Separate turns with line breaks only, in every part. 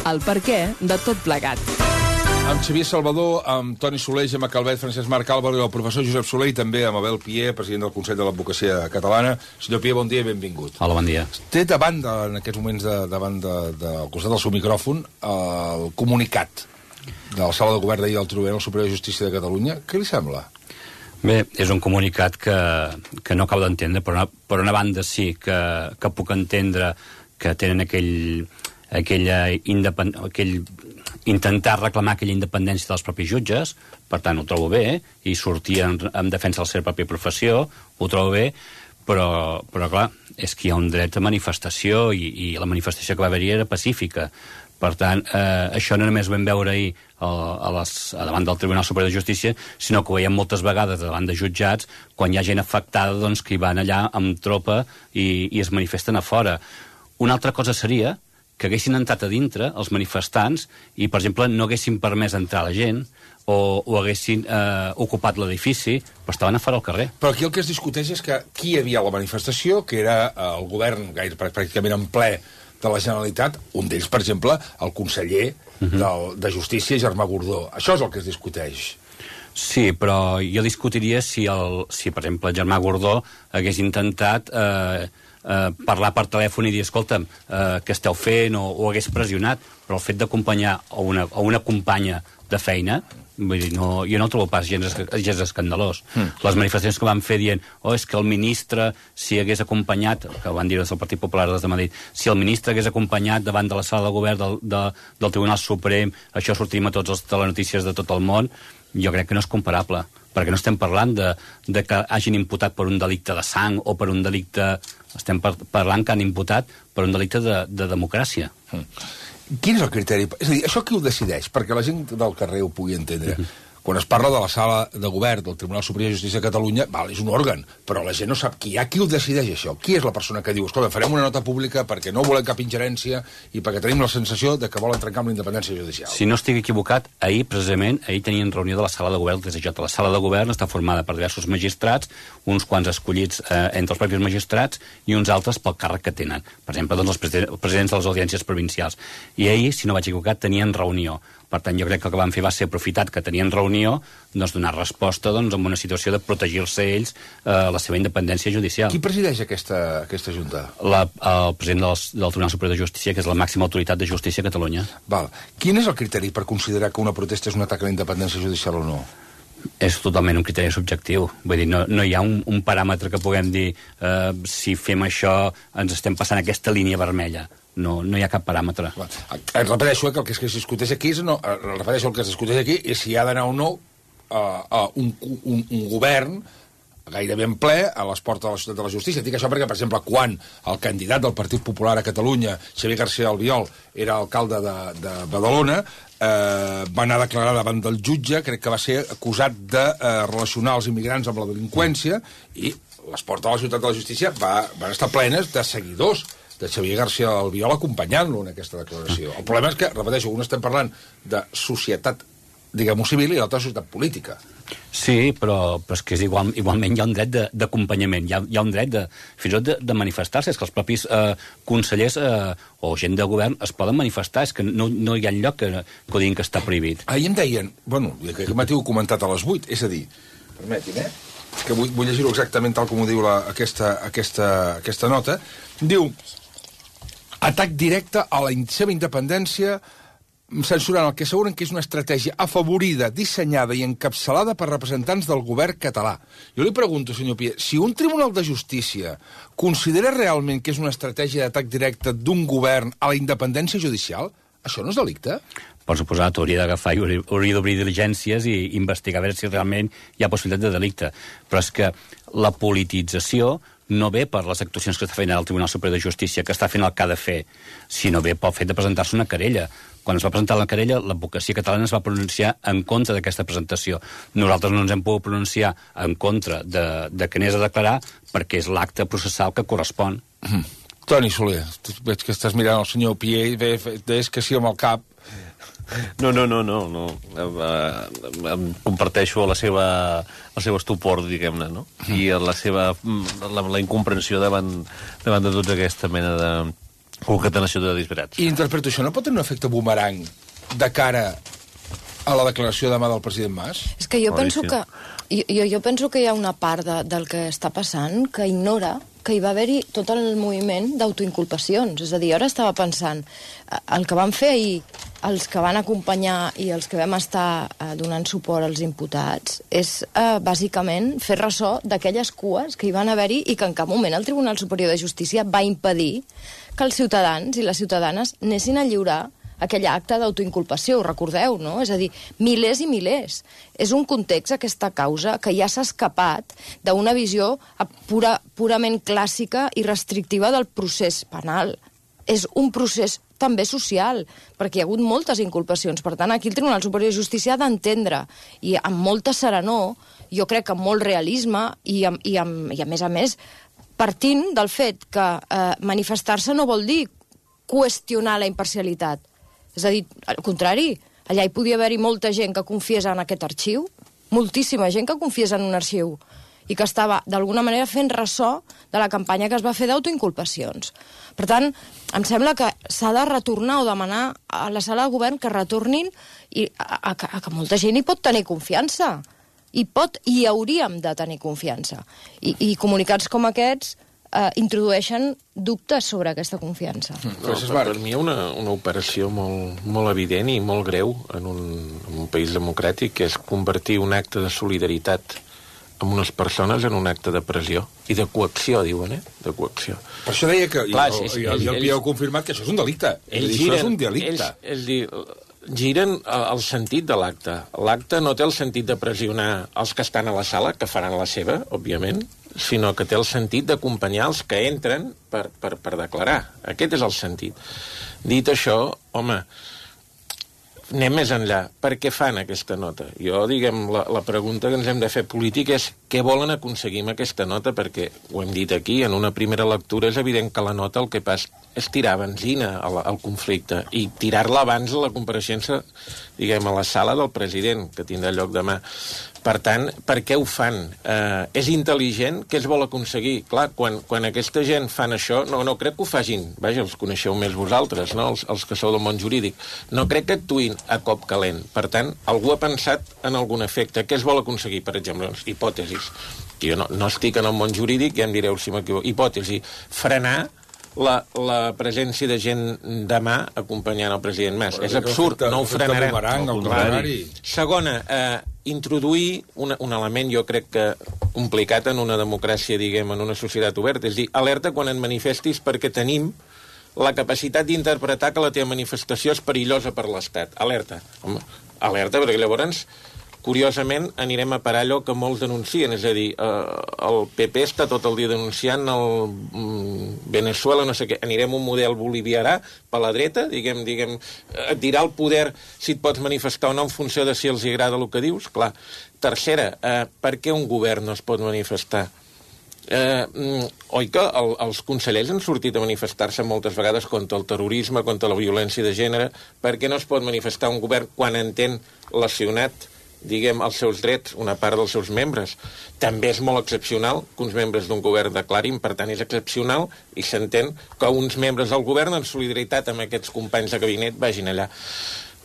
el perquè de tot plegat.
Amb Xavier Salvador, amb Toni Soler, Gemma Calvet, Francesc Marc Álvaro i el professor Josep Soler, i també amb Abel Pié, president del Consell de l'Advocacia Catalana. Senyor Pié, bon dia i benvingut.
Hola, bon dia.
Té davant, en aquests moments, al costat del seu micròfon, el comunicat de la sala de govern d'ahir del Tribunal Superior de Justícia de Catalunya. Què li sembla?
Bé, és un comunicat que no acabo d'entendre. Per una banda sí que puc entendre que tenen aquell intentar reclamar aquella independència dels propis jutges, per tant ho trobo bé, i sortir en defensa de la seva pròpia professió, ho trobo bé, però clar, és que hi ha un dret a manifestació i la manifestació que va haver-hi era pacífica. Per tant, això no només ho vam veure ahir davant del Tribunal Superior de Justícia, sinó que ho veiem moltes vegades davant de jutjats, quan hi ha gent afectada doncs, que hi van allà amb tropa i es manifesten a fora. Una altra cosa seria que haguessin entrat a dintre els manifestants i, per exemple, no haguessin permès entrar la gent o haguessin ocupat l'edifici, però estaven a fora al carrer.
Però aquí el que es discuteix és que qui hi havia a la manifestació, que era el govern pràcticament en ple de la Generalitat, un d'ells, per exemple, el conseller de Justícia, Germà Gordó. Això és el que es discuteix.
Sí, però jo discutiria si per exemple, Germà Gordó hagués intentat parlar per telèfon i dir, escolta'm, què esteu fent, o hagués pressionat, però el fet d'acompanyar a una companya de feina, vull dir, jo no ho trobo pas gens escandalós. Les manifestacions que van fer dient, és que el ministre, si hagués acompanyat, que van dir des del Partit Popular des de Madrid, si el ministre hagués acompanyat davant de la sala de govern del Tribunal Suprem, això sortim a tots els telenotícies de tot el món, jo crec que no és comparable, perquè no estem parlant de que hagin imputat per un delicte de sang o per un delicte... Estem parlant que han imputat per un delicte de democràcia.
Quin és el criteri? És a dir, això qui ho decideix? Perquè la gent del carrer ho pugui entendre. Quan es parla de la sala de govern del Tribunal Superior de Justícia de Catalunya, és un òrgan, però la gent no sap qui hi ha. Qui ho decideix, això? Qui és la persona que diu, escolta, farem una nota pública perquè no volem cap ingerència i perquè tenim la sensació de que volen trencar amb la independència judicial?
Si no estic equivocat, ahir tenien reunió de la sala de govern del TSJ. La sala de govern està formada per diversos magistrats, uns quants escollits entre els propis magistrats i uns altres pel càrrec que tenen. Per exemple, doncs, els presidents de les audiències provincials. I ahir, si no vaig equivocat, tenien reunió. Per tant, jo crec que el que van fer va ser aprofitat que tenien reunió, doncs donar resposta en una situació de protegir-se ells la seva independència judicial.
Qui presideix aquesta junta?
El president del Tribunal Superior de Justícia, que és la màxima autoritat de justícia a Catalunya.
Quin és el criteri per considerar que una protesta és un atac a la independència judicial o no?
És totalment un criteri subjectiu. Vull dir, no hi ha un paràmetre que puguem dir si fem això ens estem passant aquesta línia vermella. No hi ha cap paràmetre.
Repeteixo que el que es discuteix aquí és si hi ha d'anar o no un govern gairebé en ple a les portes de la ciutat de la justícia. Dic això perquè, per exemple, quan el candidat del Partit Popular a Catalunya, Xavier García Albiol, era alcalde de Badalona, va anar a declarar davant del jutge, crec que va ser acusat de relacionar els immigrants amb la delinqüència, i les portes de la ciutat de la justícia van estar plenes de seguidors de Xavier García Albiol acompanyant-lo en aquesta declaració. El problema és que, repeteixo, un estem parlant de societat, diguem-ho civil, i l'altra societat política.
Sí, però és que igualment hi ha un dret d'acompanyament, hi ha un dret fins i tot de manifestar-se, és que els propis consellers o gent de govern es poden manifestar, és que no hi ha lloc que ho diguin que està prohibit.
Ahir em deien, aquest matí ho he comentat a les 8, és a dir, permetin, que vull llegir-ho exactament tal com ho diu aquesta nota, diu, atac directe a la seva independència, censurant el que asseguren que és una estratègia afavorida, dissenyada i encapçalada per representants del govern català. Jo li pregunto, senyor Pié, si un tribunal de justícia considera realment que és una estratègia d'atac directe d'un govern a la independència judicial, això no és delicte?
Per suposat, hauria d'agafar i hauria d'obrir diligències i investigar a veure si realment hi ha possibilitat de delicte. Però és que la politització no ve per les actuacions que està fent el Tribunal Superior de Justícia, que està fent el que ha de fer, sinó ve pel fet de presentar-se una querella. Quan es va presentar la querella, l'advocacia catalana es va pronunciar en contra d'aquesta presentació. Nosaltres no ens hem pogut pronunciar en contra de que anés a declarar perquè és l'acte processal que correspon.
Toni Soler, veig que estàs mirant el senyor Pié i veus que sí amb el cap.
No. Comparteixo el seu estupor, diguem-ne, no? I la incomprensió davant de tota aquesta mena Concatenació de disbarats.
I interpreto això, no pot tenir un efecte boomerang de cara a la declaració demà del president Mas?
És que jo penso que... Jo penso que hi ha una part del que està passant que ignora que hi va haver-hi tot el moviment d'autoinculpacions. És a dir, ara estava pensant, el que van fer ahir els que van acompanyar i els que vam estar donant suport als imputats és bàsicament fer ressò d'aquelles cues que hi van haver-hi i que en cap moment el Tribunal Superior de Justícia va impedir que els ciutadans i les ciutadanes anessin a lliurar aquell acte d'autoinculpació, ho recordeu, no? És a dir, milers i milers. És un context, aquesta causa, que ja s'ha escapat d'una visió purament clàssica i restrictiva del procés penal. És un procés també social, perquè hi ha hagut moltes inculpacions. Per tant, aquí el Tribunal Superior de Justícia ha d'entendre, i amb molta serenor, jo crec que amb molt realisme, i a més, partint del fet que manifestar-se no vol dir qüestionar la imparcialitat. És a dir, al contrari, allà hi podia haver-hi molta gent que confiés en aquest arxiu, moltíssima gent que confiés en un arxiu, i que estava, d'alguna manera, fent ressò de la campanya que es va fer d'autoinculpacions. Per tant, em sembla que s'ha de retornar o demanar a la sala de govern que retornin a que molta gent hi pot tenir confiança. I hauríem de tenir confiança. I comunicats com aquests introdueixen dubtes sobre aquesta confiança.
No, per mi hi ha una operació molt evident i molt greu en un país democràtic, que és convertir un acte de solidaritat amb unes persones en un acte de pressió i de coacció, diuen, de coacció.
Per això deia que, i el Pia ha confirmat que això és un delicte. Això és un delicte.
Giren el sentit de l'acte. L'acte no té el sentit de pressionar els que estan a la sala, que faran la seva, òbviament, sinó que té el sentit d'acompanyar els que entren per declarar. Aquest és el sentit. Dit això, home, anem més enllà. Per què fan aquesta nota? Jo, la pregunta que ens hem de fer política és què volen aconseguir amb aquesta nota, perquè, ho hem dit aquí, en una primera lectura és evident que la nota el que passa és tirar benzina al conflicte i tirar-la abans de la compareixença, a la sala del president, que tindrà lloc demà. Per tant, per què ho fan? És intel·ligent? Què es vol aconseguir? Clar, quan aquesta gent fan això, no crec que ho facin, vaja, els coneixeu més vosaltres, no? Els que sou del món jurídic. No crec que actuïn a cop calent. Per tant, algú ha pensat en algun efecte. Què es vol aconseguir, per exemple? Hipòtesis. Jo no estic en el món jurídic, ja em direu si m'equivoco. Hipòtesi. Frenar la presència de gent demà acompanyant el president Mas. És absurd, no ho frenarem. Segona, introduir un element, jo crec que complicat en una democràcia, en una societat oberta, és dir, alerta quan et manifestis perquè tenim la capacitat d'interpretar que la teva manifestació és perillosa per l'Estat. Alerta. Home, alerta, perquè llavors curiosament anirem a parar allò que molts denuncien, és a dir, el PP està tot el dia denunciant el Venezuela, no sé què, anirem un model boliviarà per la dreta, et dirà el poder si et pots manifestar o no en funció de si els agrada el que dius, clar. Tercera, per què un govern no es pot manifestar? Oi que els consellers han sortit a manifestar-se moltes vegades contra el terrorisme, contra la violència de gènere? Per què no es pot manifestar un govern quan entén lesionat els seus drets, una part dels seus membres? També és molt excepcional que uns membres d'un govern declarin, per tant és excepcional i s'entén que uns membres del govern en solidaritat amb aquests companys de gabinet vagin allà.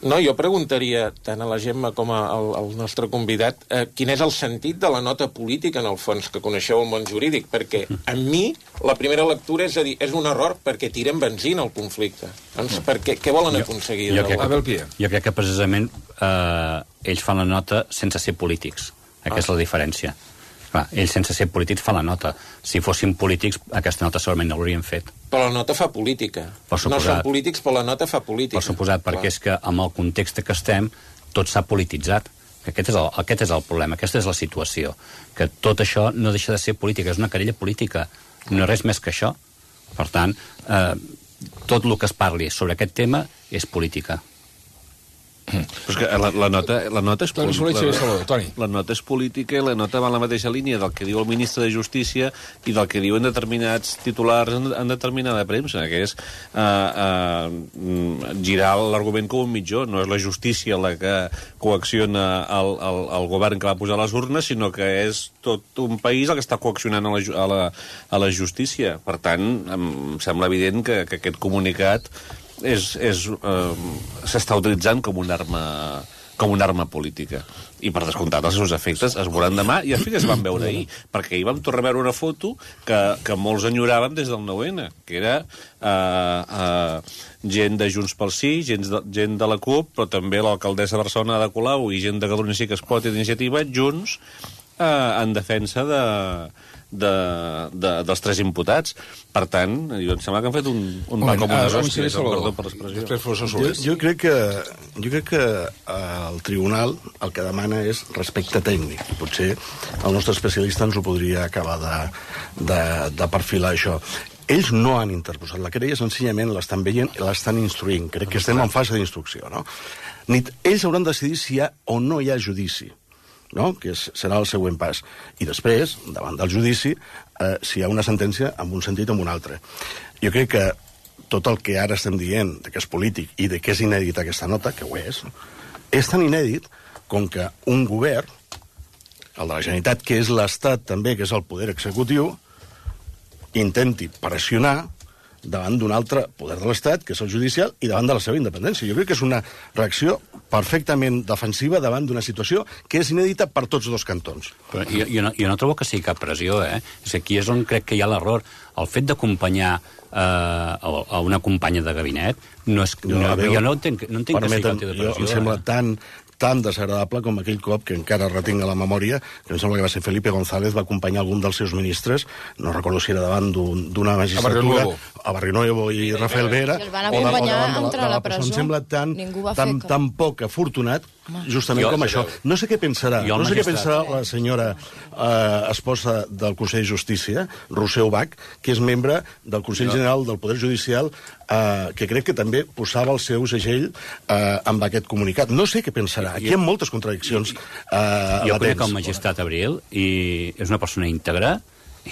No, jo preguntaria tant a la Gemma com al nostre convidat quin és el sentit de la nota política, en el fons, que coneixeu el món jurídic, perquè a mi la primera lectura és a dir, és un error perquè tiren benzina al conflicte. Doncs què volen aconseguir?
Jo crec que precisament ells fan la nota sense ser polítics. Aquesta és la diferència. Clar, ells sense ser polítics fan la nota. Si fossin polítics, aquesta nota segurament no l'haurien fet.
Però la nota fa política. No són polítics, però la nota fa política.
Per suposat, perquè és que amb el context que estem, tot s'ha polititzat. Aquest és el problema, aquesta és la situació. Que tot això no deixa de ser política, és una querella política. No és res més que això. Per tant, tot el que es parli sobre aquest tema és política.
Però és que la nota és
Toni Soler, sí, Salvador, Toni.
La nota és política i la nota va en la mateixa línia del que diu el ministre de Justícia i del que diuen determinats titulars en determinada premsa, que és girar l'argument com un mitjó. No és la justícia la que coacciona el govern que va posar les urnes, sinó que és tot un país el que està coaccionant a la justícia. Per tant, em sembla evident que aquest comunicat s'està utilitzant com una arma política. I, per descomptat, els seus efectes es veuran demà, i els es van veure ahir, perquè ahir vam tornar a veure una foto que molts enyoràvem des del 9-N, que era gent de Junts pel Sí, gent de la CUP, però també l'alcaldessa de Barcelona, Ada Colau, i gent de Catalunya Sí que es pot, i d'Iniciativa, junts en defensa dels 3 imputats. Per tant, em sembla que han fet un pa com unes hòsties, perdó per l'expressió.
Jo crec que el tribunal el que demana és respecte tècnic. Potser el nostre especialista ens ho podria acabar de perfilar, això. Ells no han interposat la querella, senzillament l'estan veient i l'estan instruint. Crec que estem en fase d'instrucció, no? Ells hauran de decidir si hi ha o no hi ha judici, no? Que serà el següent pas. I després, davant del judici, si hi ha una sentència en un sentit o en un altre. Jo crec que tot el que ara estem dient, que és polític i de que és inèdita aquesta nota, que ho és tan inèdit com que un govern, el de la Generalitat, que és l'Estat també, que és el poder executiu, intenti pressionar davant d'un altre poder de l'Estat, que és el judicial, i davant de la seva independència. Jo crec que és una reacció perfectament defensiva davant d'una situació que és inèdita per tots dos cantons.
Però jo no trobo que sigui cap pressió, eh? És que aquí és on crec que hi ha l'error. El fet d'acompanyar a una companya de gabinet no és... Jo no entenc que sigui cap tipus de pressió.
Em sembla tan desagradable com aquell cop que encara retinc a la memòria, que em sembla que va ser Felipe González, va acompanyar algun dels seus ministres, no recordo si era davant d'una magistratura, a Barrionuevo i Rafael Vera,
i el van acompanyar a entrar a la presó.
Em sembla tan poc afortunat, justament com això. No sé què pensarà la senyora esposa del Consell de Justícia, Roser Ubach, que és membre del Consell General del Poder Judicial, que crec que també posava el seu segell amb aquest comunicat. No sé què pensarà. Aquí hi ha moltes contradiccions latents.
Jo conec el magistrat Abril i és una persona íntegra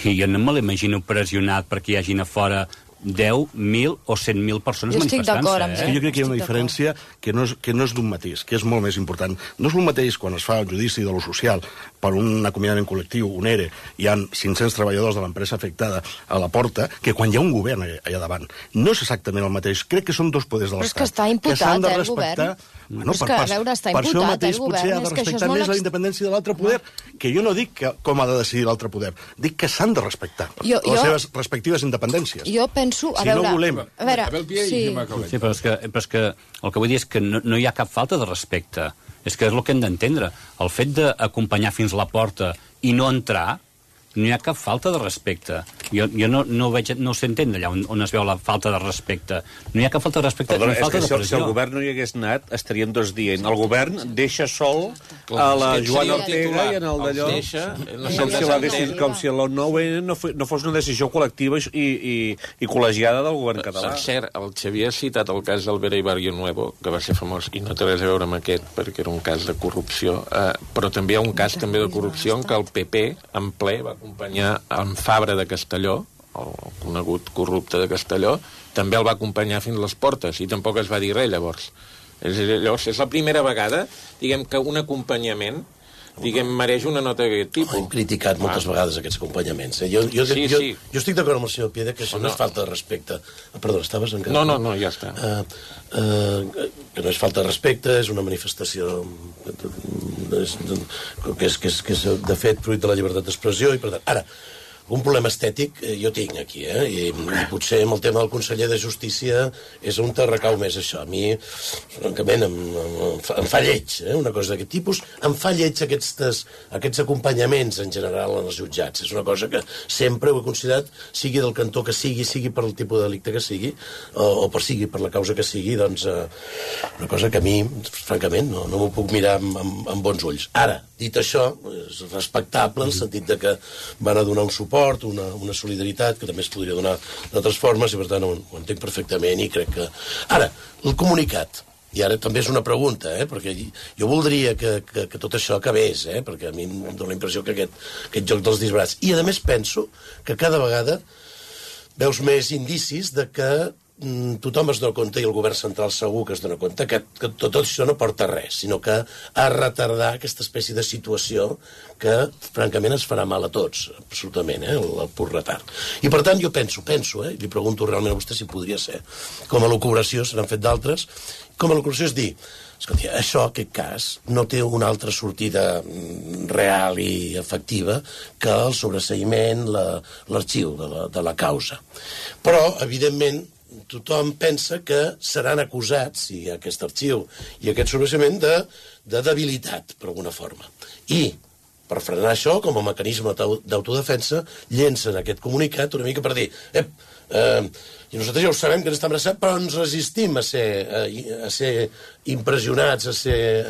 i jo no me l'imagino pressionat perquè hi hagin a fora 10, 1.000 o 100.000 persones manifestant-se.
És que jo crec que hi ha una diferència que no és d'un matís, que és molt més important. No és el mateix quan es fa el judici de lo social per un acomiadament col·lectiu, un ERE, hi ha 500 treballadors de l'empresa afectada a la porta, que quan hi ha un govern allà davant. No és exactament el mateix. Crec que són dos poders de l'Estat.
Però és que està imputat, el govern.
Bueno, és que, a veure, està imputat, el govern. Per això mateix potser ha de respectar més la independència de l'altre poder, que jo no dic com ha de decidir l'altre poder, dic que s'han de respectar les seves respectives independències.
Jo penso, a veure...
Sí, però és que el que vull dir és que no hi ha cap falta de respecte. És que és el que hem d'entendre. El fet d'acompanyar fins a la porta i no entrar, no hi ha cap falta de respecte. Jo no sé entendre allà on es veu la falta de respecte. No hi ha cap falta de respecte ni falta de pressió.
Si el govern no hi hagués anat, estaríem tots dient el govern deixa sol a la Joana Ortega i en el d'allò com si el 9-N no fos una decisió col·lectiva i col·legiada del govern català.
Per cert, el Xavier ha citat el cas d'Albera i Barrionuevo, que va ser famós, i no té res a veure amb aquest, perquè era un cas de corrupció, però també hi ha un cas també de corrupció en què el PP, en ple, va acompanyar en Fabra de Castelló, el conegut corrupte de Castelló, també el va acompanyar fins a les portes, i tampoc es va dir res, llavors. Llavors, és la primera vegada, diguem, que un acompanyament mereix una nota d'aquest tipus.
Hem criticat moltes vegades aquests acompanyaments. Jo estic d'acord amb el senyor Piedra que això no és falta de respecte. Perdó, estaves encara?
No, ja està.
Que no és falta de respecte, és una manifestació que és de fet fruit de la llibertat d'expressió i per tant... Ara, un problema estètic jo tinc aquí, i potser amb el tema del conseller de Justícia és on te recau més això. A mi, francament, em fa lleig, una cosa d'aquest tipus. Em fa lleig aquests acompanyaments en general en els jutjats. És una cosa que sempre ho he considerat, sigui del cantó que sigui per el tipus de delicte que sigui, o sigui per la causa que sigui, doncs una cosa que a mi, francament, no m'ho puc mirar amb bons ulls. Ara, dit això, és respectable en el sentit de que van a donar un suport, una solidaritat que també es podria donar d'altres formes i per tant ho entenc perfectament i crec que... Ara, el comunicat. I ara també és una pregunta, perquè jo voldria que tot això acabés, perquè a mi em dóna la impressió que aquest joc dels disbarats. I, a més, penso que cada vegada veus més indicis de que tothom es dona compte, i el govern central segur que es dona compte, que tot això no porta res, sinó que a retardar aquesta espècie de situació que, francament, ens farà mal a tots, absolutament, el pur retard. I, per tant, jo penso, li pregunto realment a vostè si podria ser, com a elucubració, se n'han fet d'altres, com a elucubració és dir, escolti, això, aquest cas, no té una altra sortida real i efectiva que el sobreseïment, l'arxiu de la causa. Però, evidentment, tothom pensa que seran acusats, si hi ha aquest arxiu i aquest sobreseïment, de debilitat, per alguna forma. I, per frenar això, com a mecanisme d'autodefensa, llencen aquest comunicat una mica per dir i nosaltres ja ho sabem que ens està amenaçat, però ens resistim a ser impressionats, a ser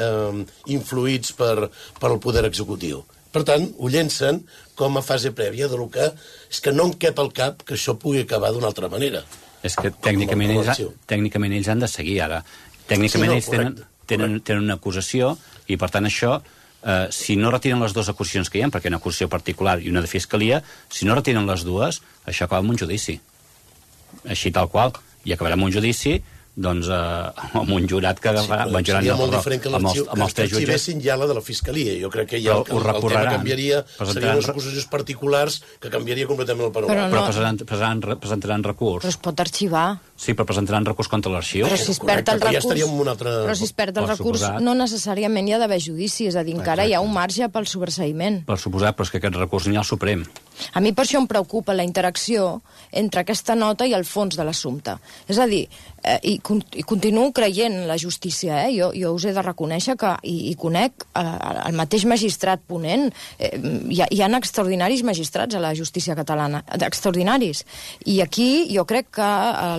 influïts per el poder executiu. Per tant, ho llencen com a fase prèvia de lo que és que no em cap al cap que això pugui acabar d'una altra manera.
És que tècnicament ells han de seguir ara. Tècnicament ells tenen una acusació i, per tant, això, si no retiren les dues acusacions que hi ha, perquè hi ha una acusació particular i una de fiscalia, si no retiren les dues, això acaba amb un judici. Així tal qual. I acabarà amb un judici doncs, amb un jurat que agafarà...
Sí, seria molt diferent que l'arxivessin ja la de la Fiscalia. Jo crec que ja el tema canviaria, serien unes acusacions particulars que canviaria completament el panorama.
Però presentaran recurs.
Però es pot arxivar.
Sí, però presentaran recurs contra l'arxiu.
Però si es perd el recurs...
Ja estaríem en un altre...
Però si es perd el recurs, no necessàriament hi ha d'haver judici, és a dir, encara hi ha un marge pel sobreseïment.
Per suposat, però és que aquest recurs n'hi ha al Suprem.
A mi per això em preocupa la interacció entre aquesta nota i el fons de l'assumpte. És a dir, i continuo creient en la justícia, jo us he de reconèixer que, i conec el mateix magistrat ponent, hi ha extraordinaris magistrats a la justícia catalana, extraordinaris. I aquí jo crec que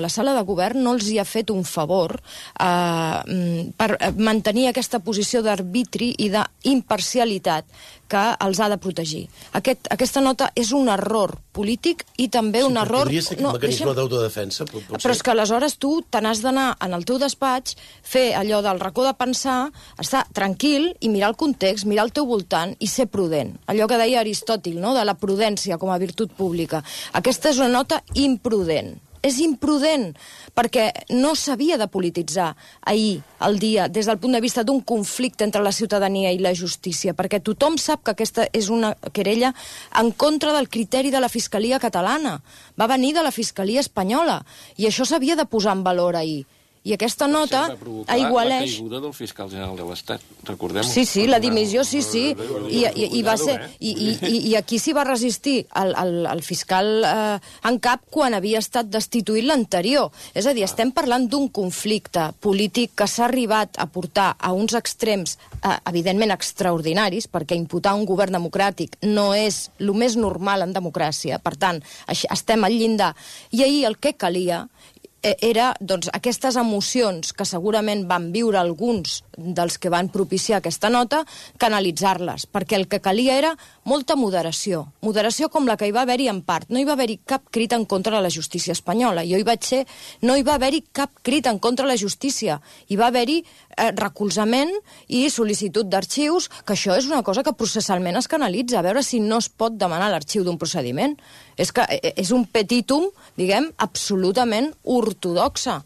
la sala de govern no els hi ha fet un favor per mantenir aquesta posició d'arbitri i d'imparcialitat que els ha de protegir. Aquesta nota és un error polític i també un error...
Podria ser un mecanisme d'autodefensa,
Però és que aleshores tu te n'has d'anar en el teu despatx, fer allò del racó de pensar, estar tranquil i mirar el context, mirar el teu voltant i ser prudent. Allò que deia Aristòtil, no?, de la prudència com a virtut pública. Aquesta és una nota imprudent. És imprudent, perquè no s'havia de polititzar ahir, el dia, des del punt de vista d'un conflicte entre la ciutadania i la justícia, perquè tothom sap que aquesta és una querella en contra del criteri de la Fiscalia catalana. Va venir de la Fiscalia espanyola, i això s'havia de posar en valor ahir. I aquesta nota aigualeix...
La caiguda del fiscal general de l'Estat, recordem-ho.
Sí, la dimissió, sí. I va ser... I aquí s'hi va resistir el fiscal en cap quan havia estat destituït l'anterior. És a dir, estem parlant d'un conflicte polític que s'ha arribat a portar a uns extrems evidentment extraordinaris, perquè imputar un govern democràtic no és el més normal en democràcia. Per tant, estem al llindar. I ahir el que calia era, doncs, aquestes emocions que segurament van viure alguns dels que van propiciar aquesta nota, canalitzar-les, perquè el que calia era molta moderació com la que hi va haver-hi en part. No hi va haver-hi cap crit en contra de la justícia espanyola. Jo hi vaig ser, no hi va haver-hi cap crit en contra de la justícia. Hi va haver-hi recolzament i sol·licitud d'arxius, que això és una cosa que processalment es canalitza, a veure si no es pot demanar l'arxiu d'un procediment. És que és un petitum, diguem, absolutament ortodoxa.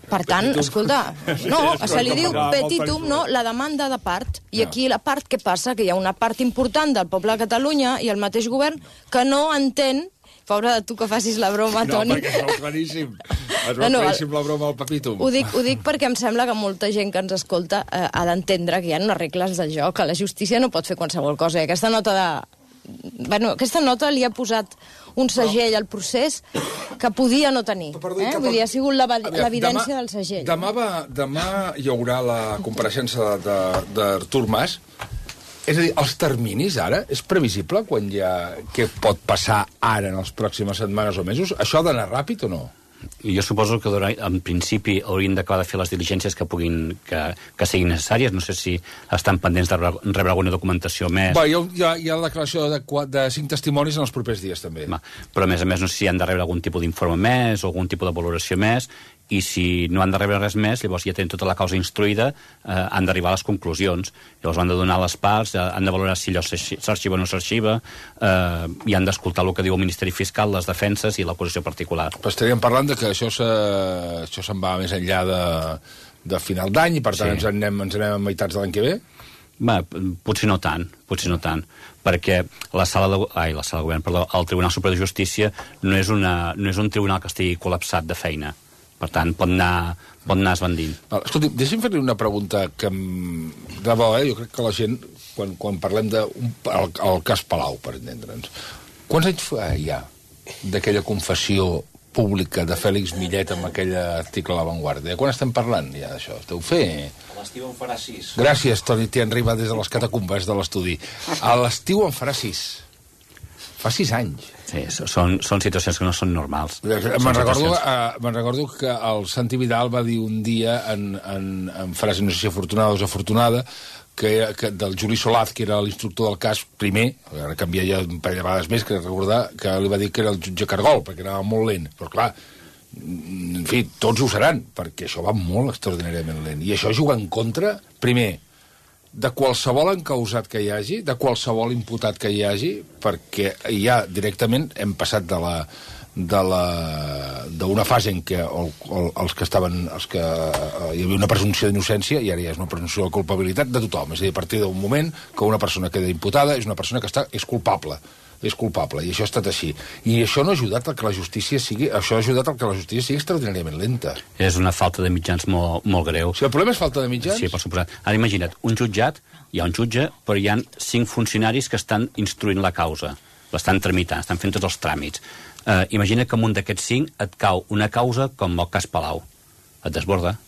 Per tant, escolta, no, se li diu petitum, no, la demanda de part. I aquí la part, què passa? Que hi ha una part important del poble de Catalunya i el mateix govern que no entén. Pobre de tu que facis la broma, Toni.
No, perquè es veu claríssim. Es veu claríssim la broma al papitum.
Ho dic perquè em sembla que molta gent que ens escolta ha d'entendre que hi ha unes regles del joc, que la justícia no pot fer qualsevol cosa. I aquesta nota li ha posat un segell al procés que podia no tenir. Vull dir, ha sigut l'evidència del segell.
Demà hi haurà la compareixença d'Artur Mas. És a dir, els terminis ara, és previsible què pot passar ara en les pròximes setmanes o mesos? Això ha d'anar ràpid o no?
Jo suposo que en principi haurien d'acabar de fer les diligències que siguin necessàries. No sé si estan pendents de rebre alguna documentació més.
Hi ha la declaració de 5 testimonis en els propers dies, també.
Però, a més, no sé si han de rebre algun tipus d'informe més o algun tipus de valoració més. i si no han de rebre res més, llavors ja tenen tota la causa instruïda, han d'arribar a les conclusions. Llavors han de donar les parts, han de valorar si allò s'arxiva o no s'arxiva, i han d'escoltar el que diu el Ministeri Fiscal, les defenses i l'acusació particular.
Però estaríem parlant de que això se'n va més enllà de final d'any, i per tant ens anem a meitats de l'any que ve?
Potser no tant, perquè el Tribunal Superior de Justícia no és un tribunal que estigui col·lapsat de feina. Per tant, pot anar esbandint.
Escolti, deixi'm fer-li una pregunta que de debò, jo crec que la gent, quan parlem del cas Palau, per entendre'ns, quants anys fa ja d'aquella confessió pública de Fèlix Millet amb aquell article a La Vanguardia? Quan estem parlant ja d'això? Deu fer...
A l'estiu en farà 6.
Gràcies, Toni Tienriba, des de les catacumbes de l'estudi. A l'estiu en farà 6. Fa 6 anys.
Sí, són situacions que no són normals.
Me'n recordo que el Santi Vidal va dir un dia en frase, no sé si afortunada o desafortunada, que del Juli Solaz, que era l'instructor del cas primer, ara canvia ja un parell de vegades més, que recordar que li va dir que era el jutge Cargol, perquè anava molt lent. Però clar, en fi, tots ho seran, perquè això va molt extraordinàriament lent. I això juga en contra, primer, de qualsevol encausat que hi hagi, de qualsevol imputat que hi hagi, perquè ja directament hem passat d'una fase en què hi havia una presumpció d'innocència i ara ja és una presumpció de culpabilitat de tothom. És a dir, a partir d'un moment que una persona queda imputada és una persona que és culpable, i això ha estat així. I això no ha ajudat a que la justícia sigui extraordinàriament lenta.
És una falta de mitjans molt greu.
Si el problema és falta de mitjans...
Sí, per suposat. Ara imagina't, hi ha un jutge, però hi ha 5 funcionaris que estan instruint la causa, l'estan tramitant, estan fent tots els tràmits. Imagina que amunt d'aquests 5 et cau una causa com el cas Palau. Et desborda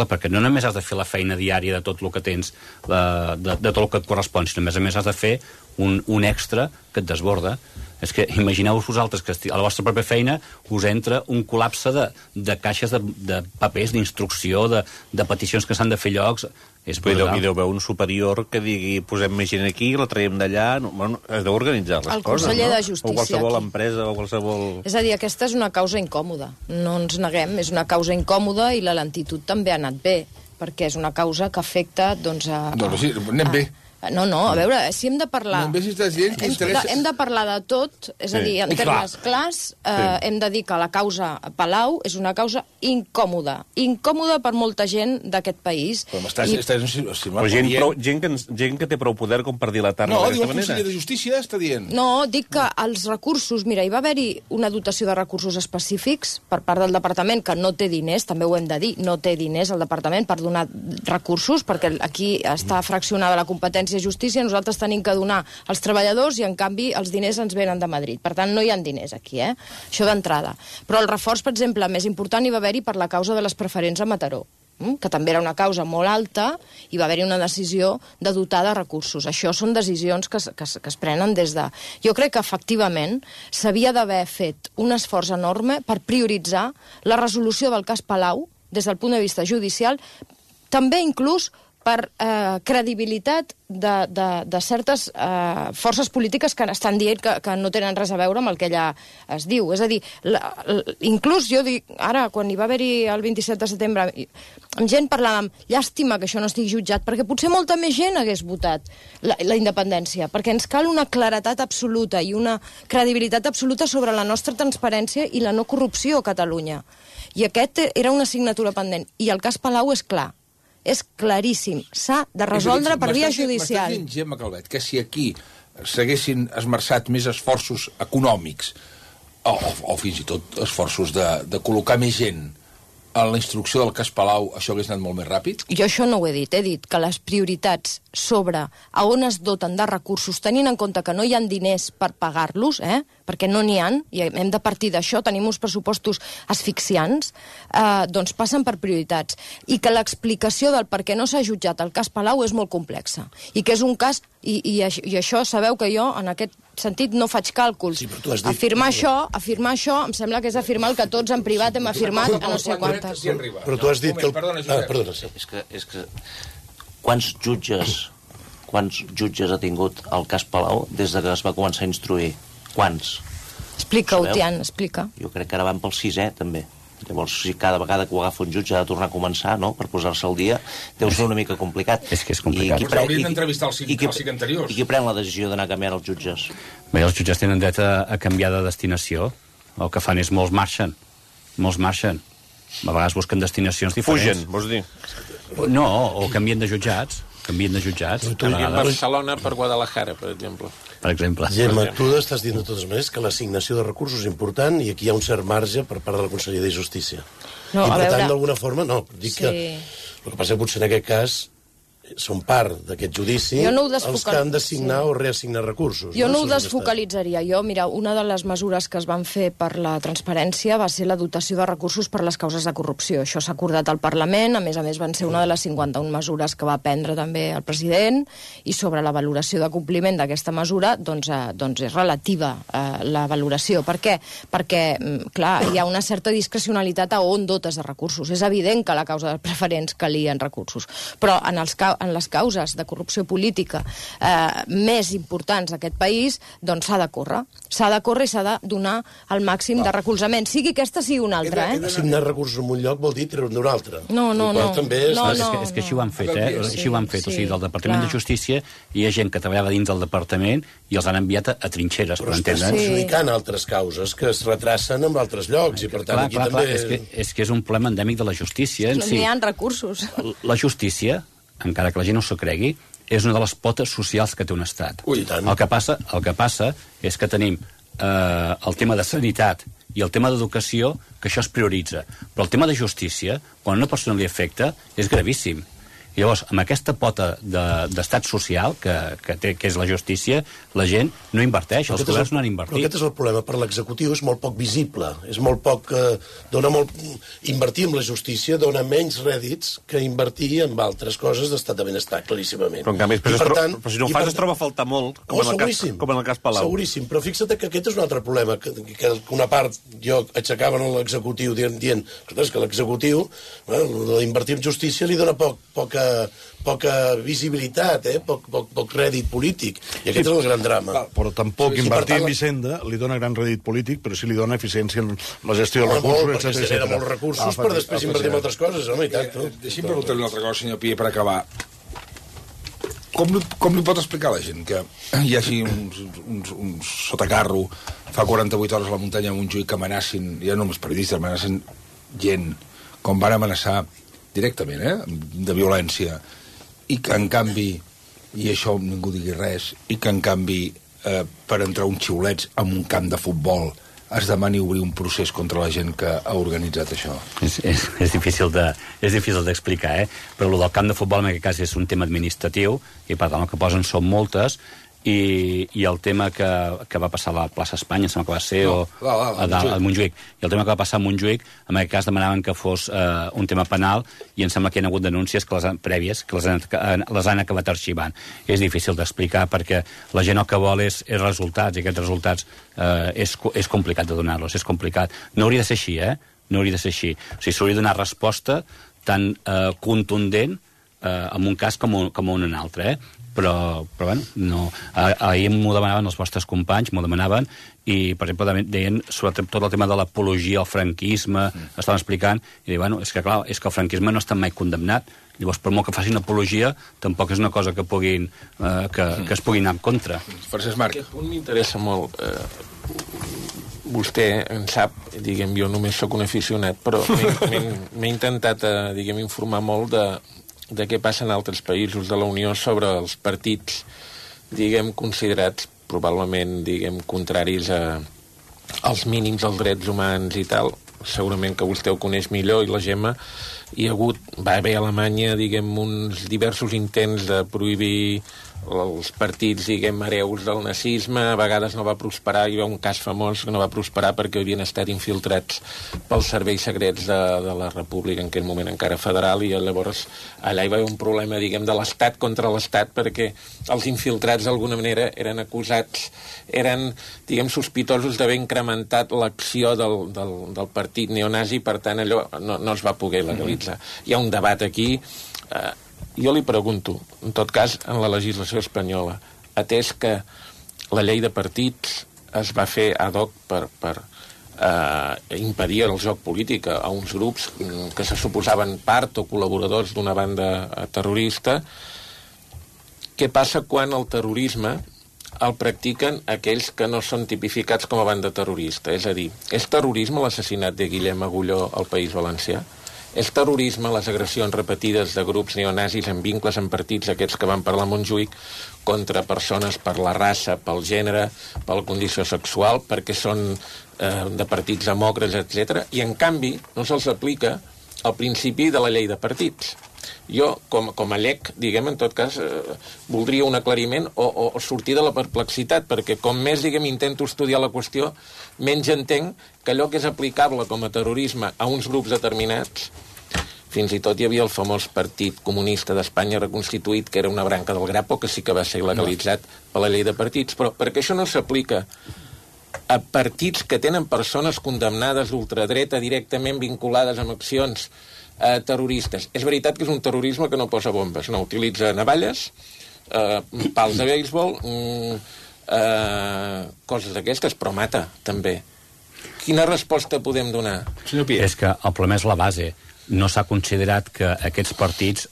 perquè no només has de fer la feina diària de tot el que tens, de tot el que et correspon, sinó a més has de fer un extra que et desborda. És que imagineu-vos vosaltres que a la vostra pròpia feina us entra un col·lapse de caixes de papers, d'instrucció, de peticions que s'han de fer llocs. És brutal.
I deu haver un superior que digui posem més gent aquí, la traiem d'allà... Has d'organitzar les coses, no?
El conseller de Justícia.
O qualsevol empresa, o qualsevol...
És a dir, aquesta és una causa incòmoda. No ens neguem, és una causa incòmoda i la lentitud també ha anat bé, perquè és una causa que afecta, doncs,
Doncs sí, anem bé.
No, a veure, si hem de parlar...
Hem
de parlar de tot, és a dir, en termes clars, hem de dir que la causa Palau és una causa incòmoda per molta gent d'aquest país.
Gent que té prou poder com per dilatar-la d'aquesta manera.
No, diu el conseller de Justícia, està dient.
No, dic que els recursos... Mira, hi va haver-hi una dotació de recursos específics per part del departament, que no té diners, també ho hem de dir, no té diners el departament per donar recursos, perquè aquí està fraccionada la competència de Justícia, nosaltres tenim que donar als treballadors i, en canvi, els diners ens venen de Madrid. Per tant, no hi ha diners aquí, Això d'entrada. Però el reforç, per exemple, més important hi va haver-hi per la causa de les preferents a Mataró, que també era una causa molt alta, i va haver-hi una decisió de dotar de recursos. Això són decisions que es prenen des de... Jo crec que, efectivament, s'havia d'haver fet un esforç enorme per prioritzar la resolució del cas Palau des del punt de vista judicial, també inclús per credibilitat de certes forces polítiques que estan dient que no tenen res a veure amb el que allà es diu. És a dir, inclús jo dic, ara, quan hi va haver-hi el 27 de setembre, amb gent parlàvem, llàstima que això no estigui jutjat, perquè potser molta més gent hagués votat la independència, perquè ens cal una claretat absoluta i una credibilitat absoluta sobre la nostra transparència i la no corrupció a Catalunya. I aquest era una assignatura pendent. I el cas Palau és clar. És claríssim. S'ha de resoldre per via judicial.
M'estàs dient, Gemma Calvet, que si aquí s'haguessin esmerçat més esforços econòmics o fins i tot esforços de col·locar més gent en la instrucció del cas Palau, això hagués anat molt més ràpid?
Jo això no ho he dit. He dit que les prioritats sobre a on es doten de recursos, tenint en compte que no hi ha diners per pagar-los, perquè no n'hi ha, i hem de partir d'això, tenim uns pressupostos asfixiants, doncs passen per prioritats. I que l'explicació del per què no s'ha jutjat el cas Palau és molt complexa. I que és un cas... I això sabeu que jo, en aquest sentit, no faig càlculs.
Sí, però tu has dit...
Afirmar això, em sembla que és afirmar el que tots en privat hem afirmat a no sé quantes.
Però tu has dit que... Perdona, sí.
És que quants jutges ha tingut el cas Palau des que es va començar a instruir? Quants?
Explica-ho, Tian, explica.
Jo crec que ara van pel 6è, també. Llavors, si cada vegada que ho agafa un jutge ha de tornar a començar, no?, per posar-se al dia, deu ser una mica complicat.
És que és complicat.
Però haurien d'entrevistar els cinc anteriors.
I qui pren la decisió d'anar canviant els jutges?
Bé, els jutges tenen dret a canviar de destinació. El que fan és molts marxen. A vegades busquen destinacions diferents.
Fugen, vols dir?
No, o canvien de jutjats.
En Barcelona per Guadalajara, per exemple.
Gemma, tu estàs dient de totes maneres que l'assignació de recursos és important i aquí hi ha un cert marge per part de la Conselleria de Justícia.
No,
I per
a
tant,
veure...
d'alguna forma, no. Dic que el que passa que potser en aquest cas són part d'aquest judici els que han d'assignar o reassignar recursos.
Jo no ho desfocalitzaria. Mira, una de les mesures que es van fer per la transparència va ser la dotació de recursos per les causes de corrupció. Això s'ha acordat al Parlament, a més van ser una de les 51 mesures que va prendre també el president, i sobre la valoració de compliment d'aquesta mesura, doncs és relativa la valoració. Per què? Perquè, clar, hi ha una certa discrecionalitat a on dotes de recursos. És evident que a la causa de preferents calien recursos, però en les causes de corrupció política més importants d'aquest país, doncs s'ha de córrer. S'ha de córrer i s'ha de donar el màxim de recolzament, sigui aquesta sigui una altra.
Assignar recursos en un lloc vol dir treure d'un altre.
No.
És que així ho han fet, Així ho han fet. O sigui, del Departament de Justícia hi ha gent que treballava dins del departament i els han enviat a trinxeres,
però estàs perjudicant altres causes que es retracen en altres llocs i per tant aquí també...
És que és un problema endèmic de la justícia.
No hi ha recursos.
La justícia, encara que la gent no s'ho cregui, és una de les potes socials que té un estat. El que passa és que tenim el tema de sanitat i el tema d'educació, que això es prioritza. Però el tema de justícia, quan a una persona li afecta, és gravíssim. I llavors, amb aquesta pota d'estat social que és la justícia, la gent no inverteix, els governs no han invertit.
Però aquest és el problema. Per l'executiu és molt poc visible. És molt poc... Invertir en la justícia dona menys rèdits que invertir en altres coses d'estat de benestar, claríssimament.
Però en canvi, però si no ho fas es troba a faltar molt, com en el cas Palau.
Seguríssim, però fixa't que aquest és un altre problema, que una part jo aixecaven a l'executiu dient que l'executiu, invertir en justícia li dona poca visibilitat, poc rèdit polític. I aquest és el gran drama.
Però tampoc invertir en Hisenda li dona gran rèdit polític, però sí li dona eficiència en la gestió dels recursos,
perquè es genera molts recursos per després invertir en altres coses, home, i tant.
Deixi'm preguntar-li una altra cosa, senyor Pi, per acabar. Com li pot explicar a la gent que hi hagi un sotacarro fa 48 hores a la muntanya amb un juic que amenacin, ja no només periodistes, amenacin gent, com van amenaçar directament, de violència, i que en canvi, i això ningú digui res, i que en canvi per entrar uns xiulets en un camp de futbol es demani obrir un procés contra la gent que ha organitzat això?
És difícil d'explicar, però el del camp de futbol en aquest cas és un tema administratiu i per tant el que posen són multes i el tema que va passar a la plaça Espanya, em sembla que va ser, a Montjuïc, i el tema que va passar a Montjuïc, en aquest cas demanaven que fos un tema penal i em sembla que hi ha hagut denúncies prèvies que les han acabat arxivant. És difícil d'explicar perquè la gent el que vol és resultats i aquests resultats és complicat de donar-los, és complicat. No hauria de ser així, no hauria de ser així. O sigui, s'hauria de donar resposta tan contundent en un cas com en un altre, però bueno, no. Ahir m'ho demanaven els vostres companys, m'ho demanaven, i, per exemple, deien sobre tot el tema de l'apologia al franquisme, estaven explicant, i deien, bueno, és que clar, és que el franquisme no està mai condemnat, llavors, per molt que facin apologia, tampoc és una cosa que es pugui anar en contra.
Francesc Marc.
Aquest punt m'interessa molt. Vostè en sap, diguem, jo només sóc un aficionat, però m'he intentat, diguem, informar molt de què passa en altres països de la Unió sobre els partits, diguem, considerats probablement, diguem, contraris als mínims dels drets humans i tal. Segurament que vostè ho coneix millor, i la Gemma, va haver a Alemanya, diguem, uns diversos intents de prohibir els partits, diguem, hereus del nazisme. A vegades no va prosperar, hi va un cas famós que no va prosperar perquè havien estat infiltrats pels serveis secrets de la República, en aquell moment encara federal, i llavors allà hi va haver un problema, diguem, de l'Estat contra l'Estat, perquè els infiltrats d'alguna manera eren acusats, eren, diguem, sospitosos d'haver incrementat l'acció del partit neonazi, per tant allò no es va poder legalitzar. Hi ha un debat aquí. Jo li pregunto, en tot cas, en la legislació espanyola, atès que la llei de partits es va fer ad hoc per impedia el joc polític a uns grups que se suposaven part o col·laboradors d'una banda terrorista. Què passa quan el terrorisme el practiquen aquells que no són tipificats com a banda terrorista? És a dir, és terrorisme l'assassinat de Guillem Agulló al País Valencià? És terrorisme les agressions repetides de grups neonazis amb vincles en partits, aquests que van parlar a Montjuïc, contra persones per la raça, pel gènere, per la condició sexual, perquè són de partits demòcrates, etc. I, en canvi, no se'ls aplica el principi de la llei de partits. Jo, com a llec, diguem, en tot cas, voldria un aclariment o sortir de la perplexitat, perquè com més, diguem, intento estudiar la qüestió, menys entenc que allò que és aplicable com a terrorisme a uns grups determinats, fins i tot hi havia el famós Partit Comunista d'Espanya reconstituït, que era una branca del Grapo, que sí que va ser il·legalitzat per la llei de partits, però perquè això no s'aplica a partits que tenen persones condemnades d'ultradreta directament vinculades amb accions terroristes. És veritat que és un terrorisme que no posa bombes, no utilitza navalles, pals de béisbol, coses d'aquestes, però mata, també. Quina resposta podem donar?
És que el problema és la base. No s'ha considerat que aquests partits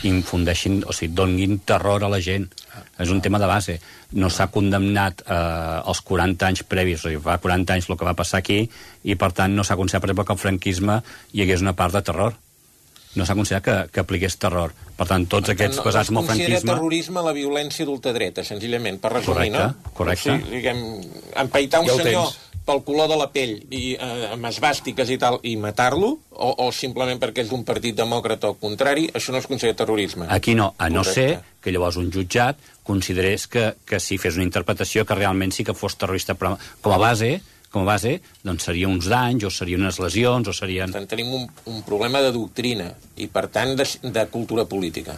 infundeixin, o sigui, donin terror a la gent. És un tema de base. No s'ha condemnat els 40 anys previs, o sigui, fa 40 anys el que va passar aquí, i per tant no s'ha considerat, per exemple, que el franquisme hi hagués una part de terror. No s'ha considerat que apliqués terror. Per tant, tots aquests basats en el franquisme...
No es considera terrorisme la violència d'ultradreta, senzillament, per resumir, no?
Correcte.
O sigui, diguem, empaitar un senyor pel color de la pell i amb esbàstiques i tal, i matar-lo, o simplement perquè és d'un partit demòcrata o contrari, això no es considera terrorisme.
Aquí no, a no ser que llavors un jutjat considerés que si fes una interpretació que realment sí que fos terrorista, però com a base, doncs seria uns danys, o serien unes lesions, o serien...
Per tant, tenim un problema de doctrina i, per tant, de cultura política.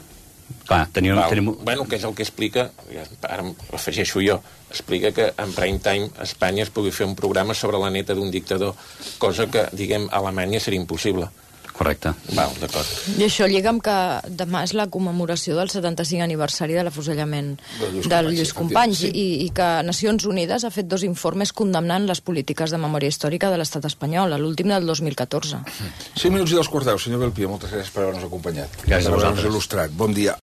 Clar, tenim...
Bueno, que és el que explica, ara afegeixo jo, explica que en prime time a Espanya es pugui fer un programa sobre la neta d'un dictador, cosa que, diguem, a Alemanya seria impossible.
Correcte.
Val, d'acord.
I això lliga amb que demà és la commemoració del 75 aniversari de l'afusellament del Lluís Companys i que Nacions Unides ha fet 2 informes condemnant les polítiques de memòria històrica de l'estat espanyol, l'últim del 2014.
5 minuts i 2 quarts 10, senyor Belpia, moltes gràcies per haver-nos acompanyat.
Gràcies a vosaltres.
Il·lustrat. Bon dia.